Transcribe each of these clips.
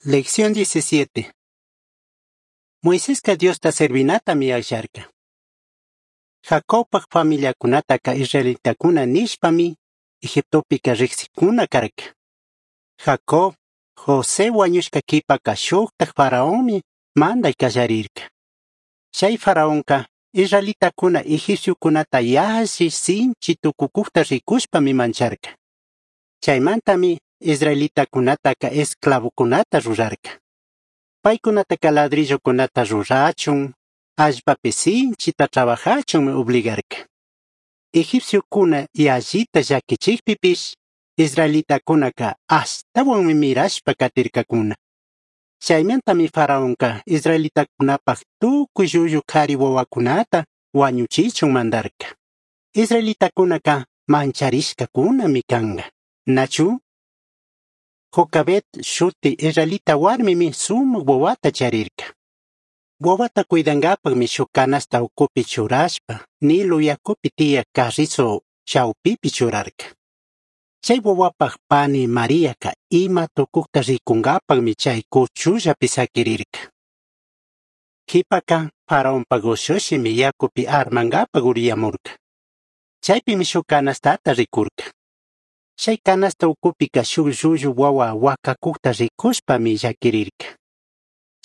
Lección 17. Moisesca Diosta servinatami akllarka. Jacobpaj familiakunataka israelitakuna nishpami Egiptopika riqsikuna karka. Jacob, José wañushka qhipaka shuktak faraonmi manday kallarirka. Chay faraonka israelitakuna egipciokunata yalli sinchi tukukukta rikushpami mancharka. Chaymantami israelitakunataka esclavokunata rurarka. Paykunataka ladrillokunata rurachun, allpapi sinchita trabajachunmi obligarka. Egipciokuna yallita llakichikpipish, israelitakunaka ashtawanmi mirashpa katirkakuna. Chaymantami faraonka israelitakunapaj tukuy llullu kari wawakunata wañuchichun mandarka. Israelitakunaka mancharishkakunami kanka. Nachu? Jocabed shuti israelita warmimi sumak wawata charirka. Wawata cuidankapakmi shuk canasta ukupi churashpa, Nilo yakupi tiyak carrizo chawpipi churarka. Chay wawapaj pani Mariaka ima tukukta rikunkapakmi chay kuchullapi sakirirka. Qhipaka faraonpak ushushimi yakupi armankapak uriyamurka. Chaypimi shuk canastata rikurka. Chay canasta ukupika shuk llullu wawa wakakukta rikushpami llakirirka.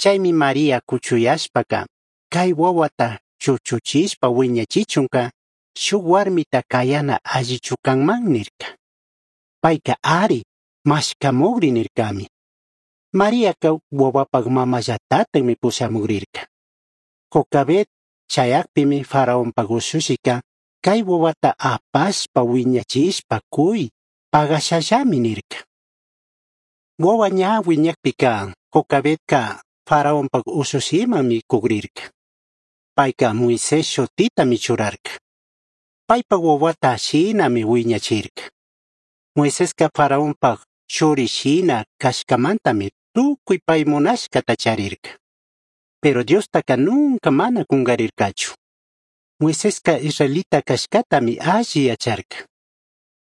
Chaymi María kuchuyashpaka kay wawata chuchuchishpa wiñachichunka shuk warmita kayana allichu kanman nirka. Payka ari mashkamukri nirkami. Mariaka wawapaj mamallatatami pushamukrirka. Jocabed chayakpimi faraonpak ushushika kay wawata apashpa wiñachishpa kuy pagashallami nirka. Wawa ña wiñakpika Jocabedka faraonpak ushushimanmi kukrirka. Payka Moisés shutitami churarka. Paypak wawata shinami wiñachirka. Moiseska faraonpak churi shina kashkamantami tukuy pay munashkata charirka. Pero Diostaka nunca mana kungarirkachu. Moiseska israelita kashkatami alli yacharka.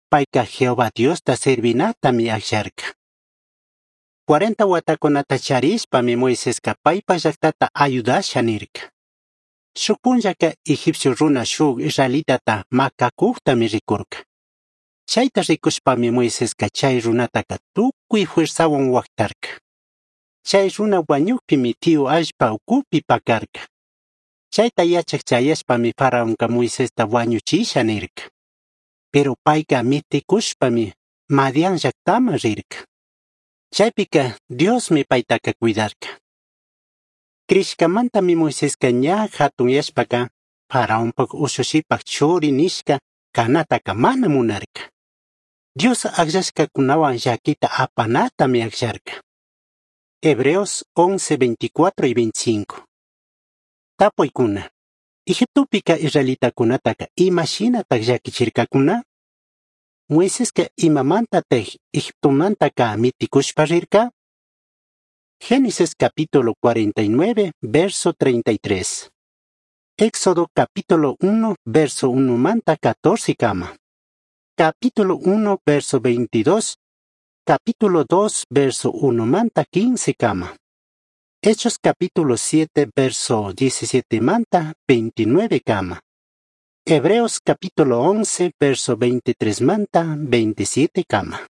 Payka Jehová Diosta servinatami akllarka. 40 watakunata charishpami Moiseska paypa llaqtata ayudasha nirka. Shuk punllaka egipcio runa shuk israelitata makakuqtami rikurka. Chayta rikushpami Moiseska chay runataka tukuy fuerzawan waqtarka. Chay runa wañukpimi tiyu allpa ukupi pakarka. Chayta yachaq chayashpami faraonka Moisesta wañuchisha nirka. Pero payka mitikushpami Madián llaqtaman rirka. Chaypika Diosmi paytaka cuidarka. Crishkamantami Moiseska ña hatunyashpaka faraonpak ushushipak churi nishka kanataka mana munarka. Dios akllashkakunawan llakita apanatami akllarka. Hebreos 11, 24 y 25. Tapuykuna. Egiptopika israelitakunataka imashinatak llakichirkakuna? Moiseska imamantataj Egiptomantaka mitikushpa rirka? Génesis capítulo 49, verso 33. Éxodo capítulo 1, verso 1 manta 14 kama. Capítulo 1, verso 22. Capítulo 2, verso 1 manta 15 kama. Hechos capítulo 7, verso 17 manta 29 kama. Hebreos capítulo 11, verso 23 manta 27 kama.